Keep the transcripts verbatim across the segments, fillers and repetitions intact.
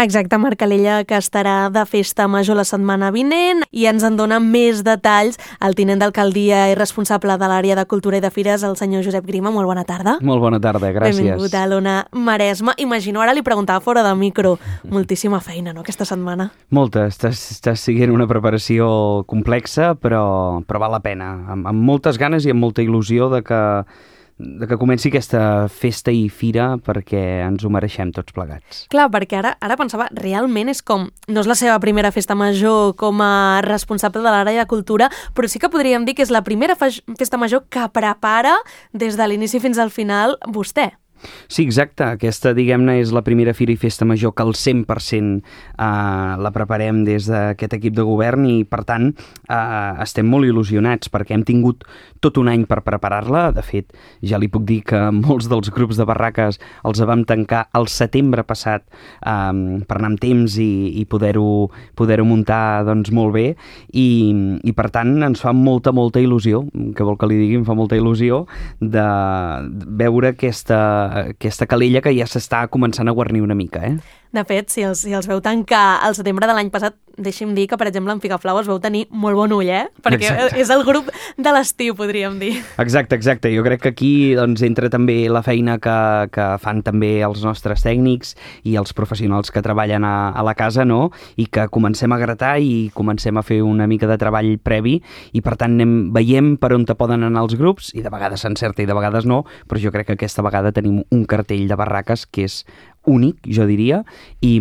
Exacte, Marc Calella, que estarà de festa major la setmana vinent i ens en dona més detalls el tinent d'alcaldia i responsable de l'àrea de Cultura i de Fires, el senyor Josep Grima. Molt bona tarda. Molt bona tarda, gràcies. Benvingut a l'Ona Maresme. Imagino, ara li preguntava fora de micro, moltíssima feina, no?, aquesta setmana. Molta, estàs, estàs siguent una preparació complexa, però, però val la pena, amb, amb moltes ganes i amb molta il·lusió de que, de que comenci aquesta festa i fira, perquè ens ho mereixem tots plegats. Clar, perquè ara, ara pensava, realment és com, no és la seva primera festa major com a responsable de l'àrea de cultura, però sí que podríem dir que és la primera festa major que prepara des de l'inici fins al final vostè. Sí, exacte. Aquesta, diguem-ne, és la primera fira i festa major que al cent per cent eh, la preparem des d'aquest equip de govern i, per tant, eh, estem molt il·lusionats perquè hem tingut tot un any per preparar-la. De fet, ja li puc dir que molts dels grups de barraques els vam tancar al setembre passat eh, per anar amb temps i, i poder-ho poder-ho muntar doncs, molt bé i, i, per tant, ens fa molta, molta il·lusió, que vol que li digui, em fa molta il·lusió de veure aquesta aquesta calella que ja s'està començant a guarnir una mica, eh? De fet, si els, si els veu tancar al setembre de l'any passat, deixi'm dir que, per exemple, en Figaflaues veu tenir molt bon ull, eh? Perquè exacte. És el grup de l'estiu, podríem dir. Exacte, exacte. Jo crec que aquí doncs, entra també la feina que, que fan també els nostres tècnics i els professionals que treballen a, a la casa, no? I que comencem a gratar i comencem a fer una mica de treball previ i, per tant, anem, veiem per on te poden anar els grups i de vegades s'encerta i de vegades no, però jo crec que aquesta vegada tenim un cartell de barraques que és únic, jo diria, i,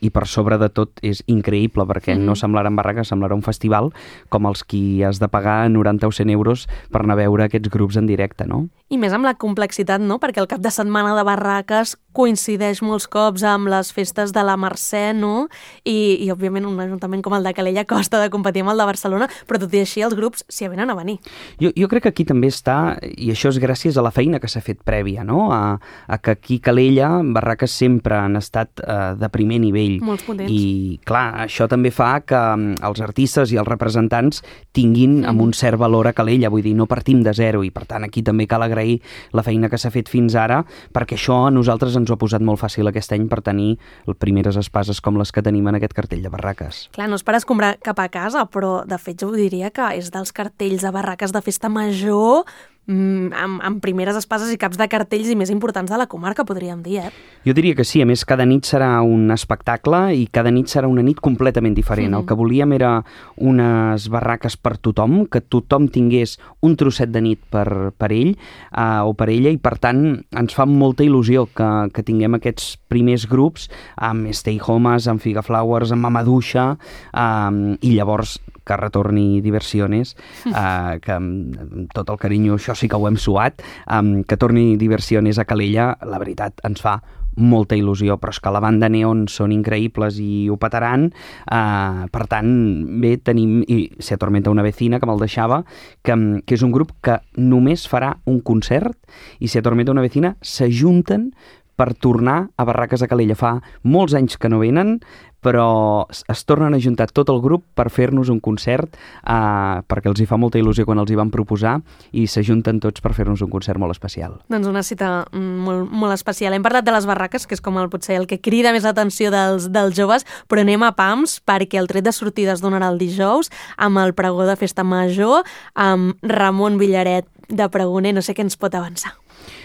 i per sobre de tot és increïble perquè mm. no semblarà en barraques, semblarà un festival com els qui has de pagar noranta o cent euros per anar a veure aquests grups en directe, no? I més amb la complexitat, no? Perquè el cap de setmana de barraques coincideix molts cops amb les festes de la Mercè, no? I, i òbviament, un ajuntament com el de Calella costa de competir amb el de Barcelona, però tot i així els grups s'hi avenen a venir. Jo, jo crec que aquí també està, i això és gràcies a la feina que s'ha fet prèvia, no? A, a que aquí Calella, barraques sempre sempre han estat eh, de primer nivell. Molts potents. I, clar, això també fa que um, els artistes i els representants tinguin mm. amb un cert valor a Calella, vull dir, no partim de zero, i per tant aquí també cal agrair la feina que s'ha fet fins ara, perquè això a nosaltres ens ho ha posat molt fàcil aquest any per tenir primeres espases com les que tenim en aquest cartell de barraques. Clar, no és per escombrar cap a casa, però de fet jo diria que és dels cartells de barraques de festa major amb, amb primeres espases i caps de cartells i més importants de la comarca, podríem dir, eh? Jo diria que sí, a més cada nit serà un espectacle i cada nit serà una nit completament diferent. Mm. El que volíem era unes barraques per tothom, que tothom tingués un trosset de nit per, per ell uh, o per ella, i per tant ens fa molta il·lusió que, que tinguem aquests primers grups amb Stay Homes, amb Figaflaues, amb Mamaduixa, um, i llavors que retorni Diversiones, uh, que amb tot el carinyo, això sí que ho hem suat, um, que torni Diversiones a Calella, la veritat ens fa molta il·lusió, però és que la banda Neon són increïbles i ho petaran, uh, per tant, bé, tenim, i Se Atormenta una vecina, que me'l deixava, que, que és un grup que només farà un concert, i Se Atormenta una vecina s'ajunten per tornar a Barraques de Calella. Fa molts anys que no venen, però es tornen a juntar tot el grup per fer-nos un concert, eh, perquè els hi fa molta il·lusió quan els hi van proposar, i s'ajunten tots per fer-nos un concert molt especial. Doncs una cita molt, molt especial. Hem parlat de les barraques, que és com el, potser el que crida més l'atenció dels, dels joves, però anem a pams, perquè el tret de sortida es donarà el dijous, amb el pregó de festa major, amb Ramon Villaret de pregoner. No sé què ens pot avançar.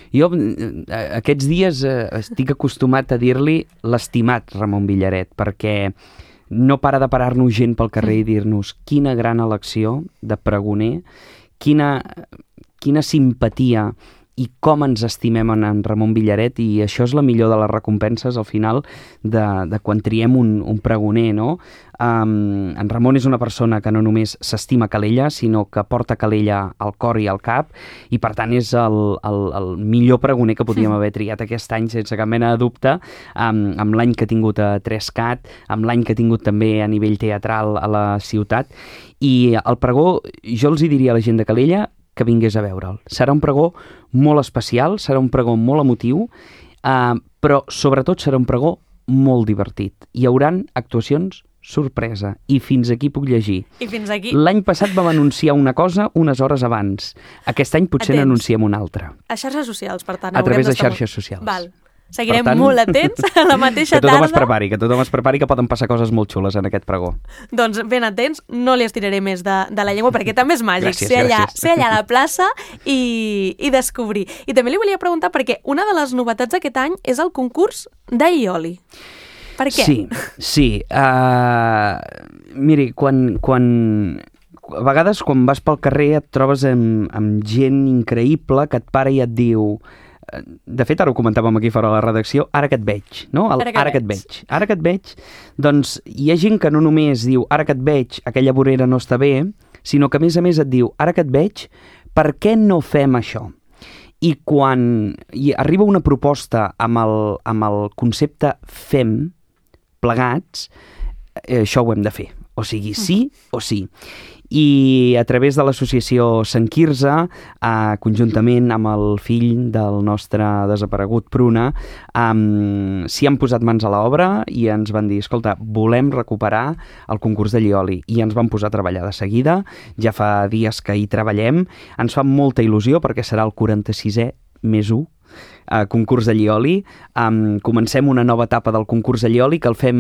Jo aquests dies eh, estic acostumat a dir-li l'estimat Ramon Villaret, perquè no para de parar-nos gent pel carrer i dir-nos quina gran elecció de pregoner, quina, quina simpatia i com ens estimem en, en Ramon Villaret, i això és la millor de les recompenses al final de, de quan triem un, un pregoner, no? Um, en Ramon és una persona que no només s'estima Calella, sinó que porta Calella al cor i al cap, i per tant és el, el, el millor pregoner que podíem haver triat aquest any sense cap mena de dubte, um, amb l'any que ha tingut a Trescat, amb l'any que ha tingut també a nivell teatral a la ciutat, i el pregó, jo els hi diria a la gent de Calella que vingués a veure'l. Serà un pregó molt especial, serà un pregó molt emotiu, eh, però sobretot serà un pregó molt divertit. Hi hauran actuacions sorpresa, i fins aquí puc llegir. I fins aquí. L'any passat vam anunciar una cosa unes hores abans. Aquest any potser n'anunciem una altra. A xarxes socials, per tant. A través de xarxes socials. Val. Seguirem tant, molt atents a la mateixa que tothom tarda. es prepari, que tothom es prepari, que poden passar coses molt xules en aquest pregó. Doncs ben atents, no li estiraré més de, de la llengua, perquè també és màgic Gràcies, ser, allà, gràcies. ser allà a la plaça i, i descobrir. I també li volia preguntar, perquè una de les novetats d'aquest any és el concurs d'aioli. Per què? Sí, sí. Uh, miri, quan, quan... A vegades, quan vas pel carrer, et trobes amb, amb gent increïble que et para i et diu... De fet, ara ho comentàvem aquí fora de la redacció, ara que et veig, no? El, Ara que ara que et veig. veig. Ara que et veig, doncs hi ha gent que no només diu ara que et veig, aquella vorera no està bé, sinó que a més a més et diu ara que et veig, per què no fem això? I quan hi arriba una proposta amb el, amb el concepte fem, plegats, eh, això ho hem de fer. O sigui, sí o sí. I a través de l'associació Sant Quirze, eh, conjuntament amb el fill del nostre desaparegut Pruna, eh, s'hi han posat mans a l'obra i ens van dir, escolta, volem recuperar el concurs de Llioli. I ens vam posar a treballar de seguida, ja fa dies que hi treballem, ens fa molta il·lusió perquè serà el quaranta-sisè més u, Uh, concurs de Llioli. Um, comencem una nova etapa del concurs de Llioli que el fem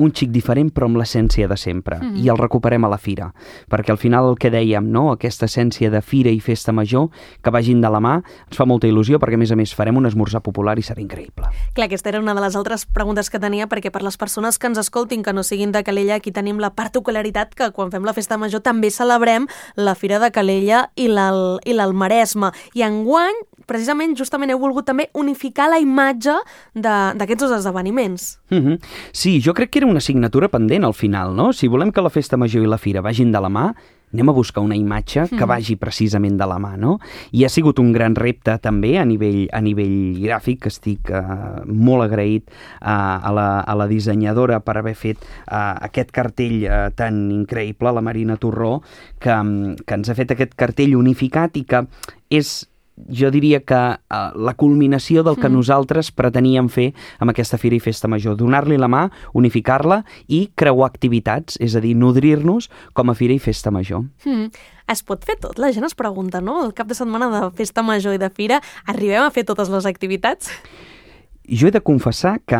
un xic diferent però amb l'essència de sempre, mm-hmm. i el recuperem a la fira, perquè al final el que dèiem, no? Aquesta essència de fira i festa major que vagin de la mà, ens fa molta il·lusió perquè a més a més farem un esmorzar popular i serà increïble. Clar, aquesta era una de les altres preguntes que tenia, perquè per les persones que ens escoltin que no siguin de Calella, aquí tenim la particularitat que quan fem la festa major també celebrem la Fira de Calella i l'Almaresme, i enguany precisament justament heu volgut també unificar la imatge d'aquests dos esdeveniments. Mm-hmm. Sí, jo crec que era una assignatura pendent al final, no? Si volem que la festa major i la fira vagin de la mà, anem a buscar una imatge que vagi precisament de la mà, no? I ha sigut un gran repte també a nivell, a nivell gràfic, que estic uh, molt agraït uh, a, la, a la dissenyadora per haver fet uh, aquest cartell uh, tan increïble, la Marina Torró, que, um, que ens ha fet aquest cartell unificat i que és, jo diria que uh, la culminació del que mm. nosaltres preteníem fer amb aquesta Fira i Festa Major, donar-li la mà, unificar-la i creuar activitats, és a dir, nodrir-nos com a Fira i Festa Major. Mm. Es pot fer tot? La gent es pregunta, no? El cap de setmana de Festa Major i de Fira, arribem a fer totes les activitats? Jo he de confessar que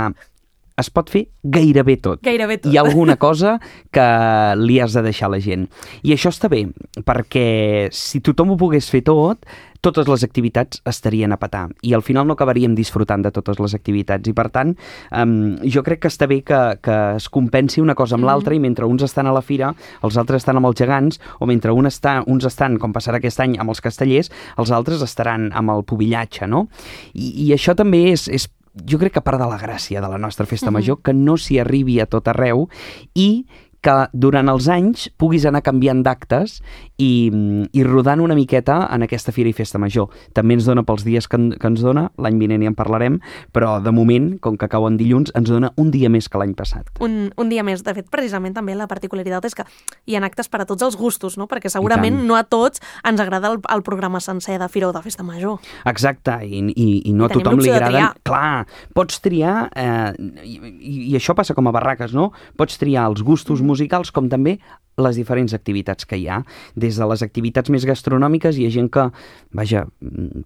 es pot fer gairebé tot. Gairebé tot. Hi ha alguna cosa que li has de deixar a la gent. I això està bé, perquè si tothom ho pogués fer tot, totes les activitats estarien a petar i al final no acabaríem disfrutant de totes les activitats i per tant um, jo crec que està bé que, que es compensi una cosa amb mm. l'altra, i mentre uns estan a la fira els altres estan amb els gegants, o mentre un està, uns estan, com passarà aquest any, amb els castellers, els altres estaran amb el pubillatge, no? I, i això també és, és jo crec que part de la gràcia de la nostra festa mm-hmm. major, que no s'hi arribi a tot arreu i que durant els anys puguis anar canviant d'actes i, i rodant una miqueta en aquesta Fira i Festa Major. També ens dona pels dies que, en, que ens dona, l'any vinent ja en parlarem, però de moment, com que cau en dilluns, ens dona un dia més que l'any passat. Un, un dia més. De fet, precisament també la particularitat és que hi ha actes per a tots els gustos, no? Perquè segurament no a tots ens agrada el, el programa sencer de Fira o de Festa Major. Exacte, i, i, i no I a tothom li agrada. triar. Clar, pots triar, eh, i, i això passa com a barraques, no? Pots triar els gustos musicals musicals com també les diferents activitats que hi ha. Des de les activitats més gastronòmiques hi ha gent que, vaja,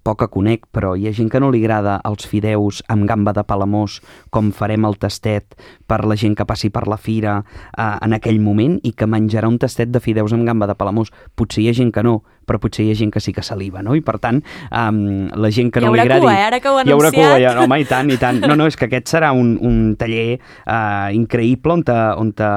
poca conec, però hi ha gent que no li agrada els fideus amb gamba de Palamós, com farem el tastet per la gent que passi per la fira eh, en aquell moment, i que menjarà un tastet de fideus amb gamba de Palamós. Potser hi ha gent que no, però potser hi ha gent que sí que saliva, no? I per tant, um, la gent que no li agradi... Hi haurà cua, eh? Ara que ho heu anunciat. Hi haurà cua, ja, no, home, i tant, i tant. No, no, és que aquest serà un, un taller uh, increïble on, te, on te,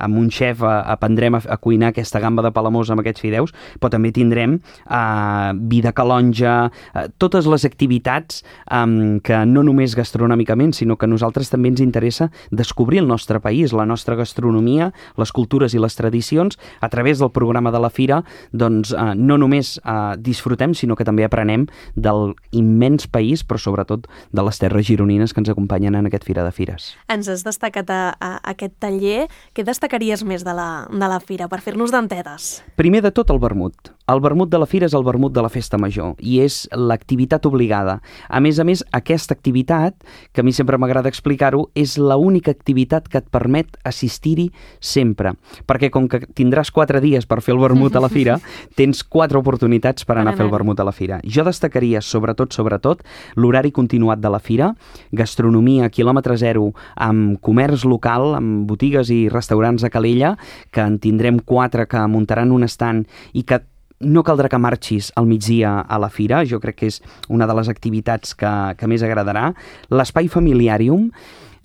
amb un xef uh, aprendrem a, a cuinar aquesta gamba de Palamós amb aquests fideus, però també tindrem uh, vi de calonja, uh, totes les activitats um, que no només gastronòmicament, sinó que a nosaltres també ens interessa descobrir el nostre país, la nostra gastronomia, les cultures i les tradicions, a través del programa de la Fira, doncs uh, no només uh, disfrutem, sinó que també aprenem del immens país, però sobretot de les terres gironines que ens acompanyen en aquest Fira de Fires. Ens has destacat a, a aquest taller. Què destacaries més de la, de la Fira, per fer-nos dentetes? Primer de tot, el vermut. El vermut de la fira és el vermut de la festa major i és l'activitat obligada. A més a més, aquesta activitat, que a mi sempre m'agrada explicar-ho, és l'única activitat que et permet assistir-hi sempre. Perquè com que tindràs quatre dies per fer el vermut a la fira, tens quatre oportunitats per anar a fer el vermut a la fira. Jo destacaria, sobretot, sobretot, l'horari continuat de la fira, gastronomia, quilòmetre zero, amb comerç local, amb botigues i restaurants a Calella, que en tindrem quatre que muntaran un estand i que no caldrà que marxis al migdia a la fira, jo crec que és una de les activitats que, que més agradarà. L'espai familiàrium,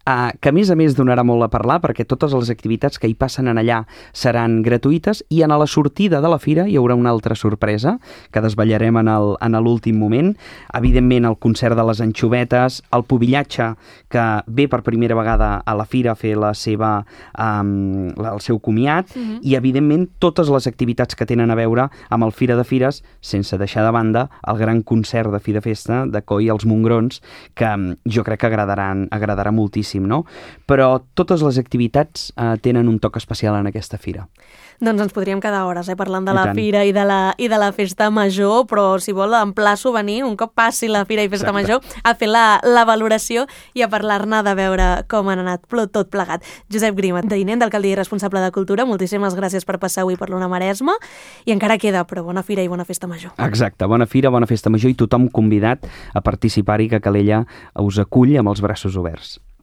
Uh, que a més a més donarà molt a parlar perquè totes les activitats que hi passen en allà seran gratuïtes i en la sortida de la fira hi haurà una altra sorpresa que desvetllarem en el, en l'últim moment. Evidentment el concert de les anxovetes, el pubillatge que ve per primera vegada a la fira a fer la seva, um, el seu comiat uh-huh. i evidentment totes les activitats que tenen a veure amb el Fira de Fires, sense deixar de banda el gran concert de fi de festa de Coi els Mongrons, que um, jo crec que agradaran, agradarà moltíssim. No? Però totes les activitats eh, tenen un toc especial en aquesta fira. Doncs ens podríem quedar hores eh, parlant de la fira i de la, i de la festa major, però si vol emplaço a venir, un cop passi la fira i festa Exacte. Major, a fer la, la valoració i a parlar-ne de veure com han anat tot plegat. Josep Grima, tinent d'alcaldia i responsable de Cultura, moltíssimes gràcies per passar avui per l'Ona Maresma i encara queda, però bona fira i bona festa major. Exacte, bona fira, bona festa major i tothom convidat a participar-hi, que Calella us acull amb els braços oberts.